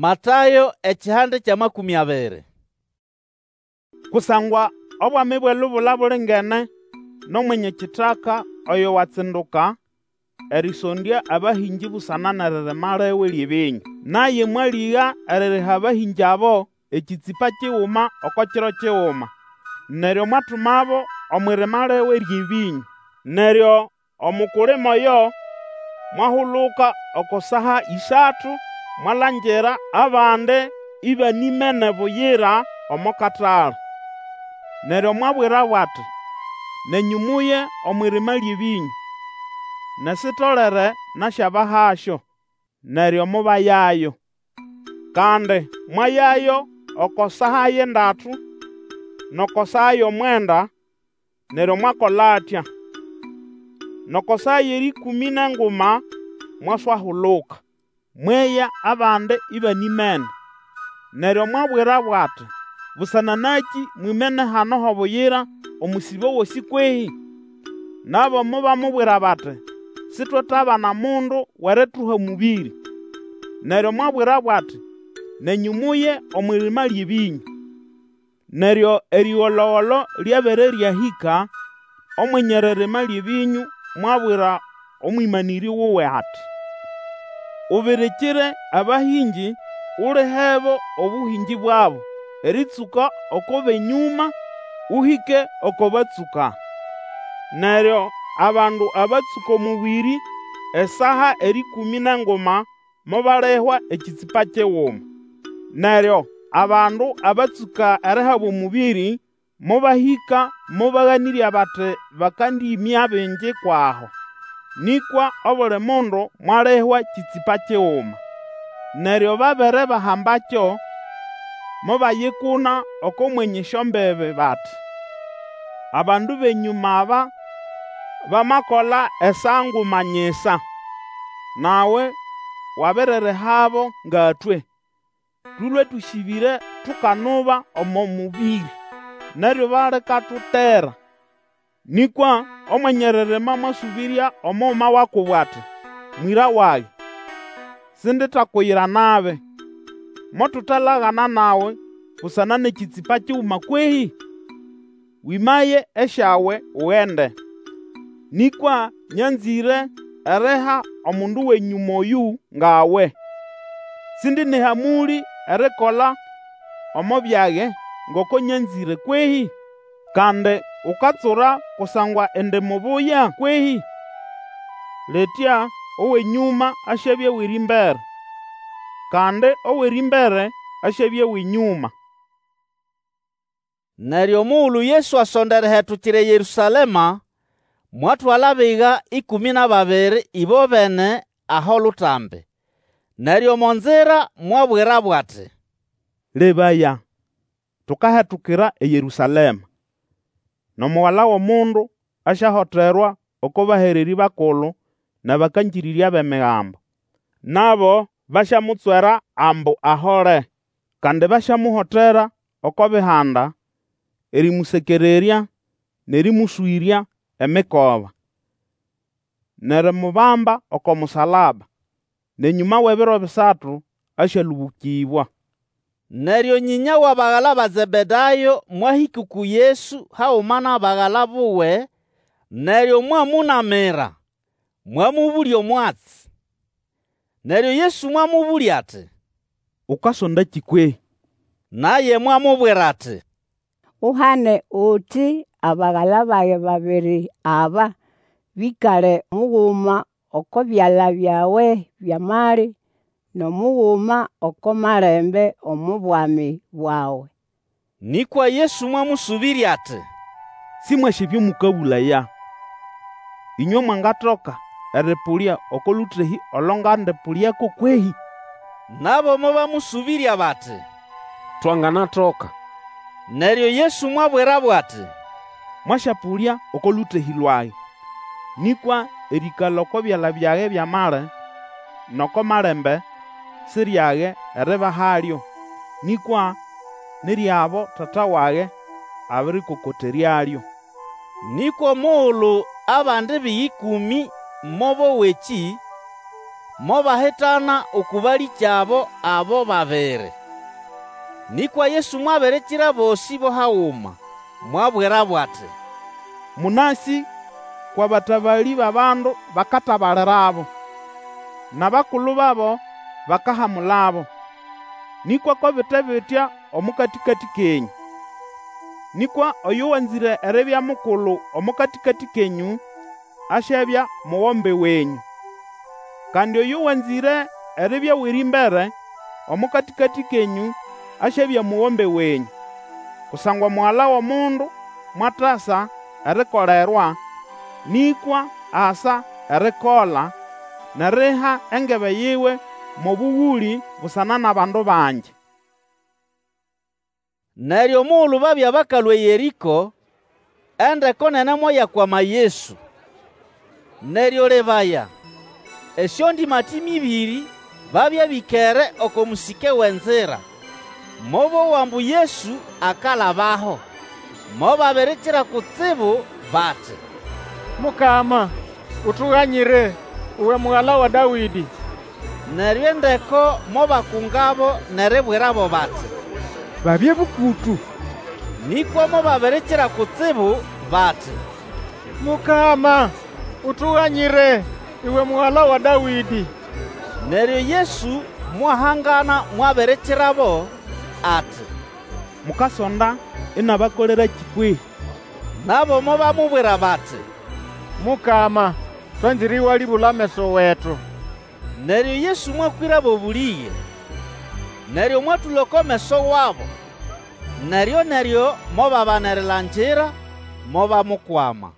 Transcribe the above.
Matayo ekihande ky'amakũmĩ abiri. Kusangwa Obwami bw'elubula bulingene n'omwenye kitaka oyo watsinduka erĩsondya abahĩngĩ busana n'eririma liwe ly'ebĩnyũ. Naye mwalĩga eririha abahĩngĩ abo ekĩtsĩpa kiguma oko kiro kiguma. Neryo mwatumabo omw'irima liwe ly'ebĩnyũ. Neryo omukulima oyo mwahuluka oko saa ĩsatu, mwalangira abandi ĩbanĩmene buyira omo katale. Neryo mwabwirabo ati, Nenyũ muye omw'irima ly'ebĩnyũ, nesitolere nasyabahasyo. Neryo mobayayo. Kandi mwayayo oko saa y'endatu n'oko saa y'omwenda, neryo mwakola atya. N'oko saa y'erĩkũmĩ n'enguma mwaswahuluka, mweya abandi ĩbanĩmene. Neryo mwabwirabo ati, Busana nakĩ mwimene hano h'obuyira omũsĩbo gosĩ kwehĩ? Nabo mobamubwira bati, Sitwetabana mundu w'erituha omũbĩrĩ. Neryo mwabwirabo ati, Nenyũ muye omw'irima ly'ebĩnyũ. Neryo erĩgolo-golo lyabere ryahĩka, Omwenye eririma ly'ebĩnyũ mwabwira omwĩmanĩrĩ wuwe ati, Ubirikire abahĩngĩ ulihebo obũhĩngĩ bwabo, erĩtsũka oko b'enyũma, ũhĩke oko batsũka. Neryo abandu abatsũka omũbĩrĩ esaa erĩkũmĩ n'enguma mobalihwa ekĩtsĩpa kiguma. Neryo abandu abatsũka erihabwa omũbĩrĩ mobahĩka mobaganĩrya bati bakandĩĩmya bingi kw'aho. Nĩkwa obuli mundu mwalihwa kĩtsĩpa kiguma. Neryo babere bahambakyo, mobayikuna oko mwenye esyombibi bati, Abandu b'enyũma aba bamakola esaa nguma nyisa, nawe wabiririhabo nga twe. Tũlwe tũsĩbĩre tukanuba omo mũbĩrĩ, n'eryuba likatutera. Nĩkwa omwenye eririma mwasũbĩrya omuguma wa kubo ati, Mwĩra wage, sinditakuyira nabi. Motutalagana nawe busana n'ekĩtsĩpa kiguma kwehĩ? Wĩmaye esyawe ugende. Nĩkwa nyanzĩre eriha omundu w'enyũma oyũ nga we. Sindi n'ehamũlĩ erikola omo byage ngoko nyanzĩre kwehĩ? Kandi ukatsura kusangwa indi mubuya kwehĩ? Litya ow'enyũma asyabya w'erĩmbere, kandi ow'erĩmbere asyabya w'enyũma. Neryo omugulu Yesu asonda erihetukira eYerũsalema, mwatwala abiga ĩkũmĩ n'ababiri ĩbobene aho lutambi. Neryo omo nzira mwabwirabo ati, Lebaya, tukahetukira eYerũsalema, n'Omugala w'Omundu asyahoterwa oko bahererĩ bakulu n'abakangĩrĩrya b'Emigambo. Nabo basyamutswera ambu ahole. Kandi basyamuhotera oko Bihanda erĩmũsekererya n'erĩmũswĩrya emikoba, n'erimubamba oko musalaba. N'enyũma w'ebiro bisatu asyalũbũkĩbwa. Neryo nyĩnya w'abagala ba Zebedayo mwahĩka uku Yesu haguma n'abagala buwe, neryo mwamũnamira, mwamũbũlya omwatsi. Neryo Yesu mwamũbũlya ati, Ukasondakĩ kwehĩ? Naye mwamubwira ati, Uhane uti abagala bage babiri aba bĩkale muguma oko byala byawe by'amali, n'omuguma oko malembe omo Bwami bwawe. Nĩkwa Yesu mwamũsũbĩrya ati, Sĩmwasĩ ebyo mũkabũlaya. Ĩnywe mwangatoka erĩpũlya oko lũtehĩ olo ngandĩpũlyako kwehĩ? Nabo mobamũsũbĩrya bati, Twanganatoka. Neryo Yesu mwabwirabo ati, Mwasyapũlya oko lũtehĩ lwage. Nĩkwa erĩĩkala oko byala byage by'amali n'oko malembe si ryage eribahalyo, nĩkwa ni ry'abo Tata wage abĩrĩkokoteryalyo. Nĩkwa omugulu abandi biga ĩkũmĩ mobowa ekĩ, Mobahitana uku balĩkyabo abo babiri. Nĩkwa Yesu mwabirikira abosĩ bo haguma, mwabwirabo ati, Mũnasĩ kw'abatabalĩ b'abandu bakatabalirabo, n'abakulu babo bakahamulabo. Nĩkwa ko bite bitya omo katĩkatĩ kenyũ. Nĩkwa oyo wanzĩre eribya mukulu omo katĩkatĩ kenyũ, asyabya mugombe wenyũ. Kandi oyo wanzĩre eribya w'erĩmbere omo katĩkatĩ kenyũ, asyabya mugombe wenyũ. Kusangwa Mugala w'Omundu mwatasa erikolerwa, nĩkwa asa erikola, n'eriha engebe yiwe mo bũgũlĩ busana n'abandu bangi. Neryo omugulu babya bakalũa eYerĩko, endeko nene moyakwama Yesu. Neryo lebaya, esyondĩmatĩme ĩbĩrĩ babya bĩkere oko mũsĩke w'enzira, mobowa ambu Yesu akalabaho, mobabirikira kutsibu bati, Mukama, Utuganyire, uwe Mugala wa Dawĩdĩ! Neryo endeko mobakungabo n'eribwirabo bati, Babye bũkũtũ. Nĩkwa mobabirikira kutsibu bati, Mukama, Utuganyire, uwe Mugala wa Dawĩdĩ! Neryo Yesu mwahangana mwabirikirabo ati, Mukasonda inabakolerakĩ kwehĩ? Nabo mobamubwira bati, Mukama, twanzĩre ĩwalĩbũla ameso wetu. Neryo Yesu mwakwĩrabo obũlĩge, neryo mwatũla oko meso wabo. Neryo-neryo mobabana erilangira, mobamukwama.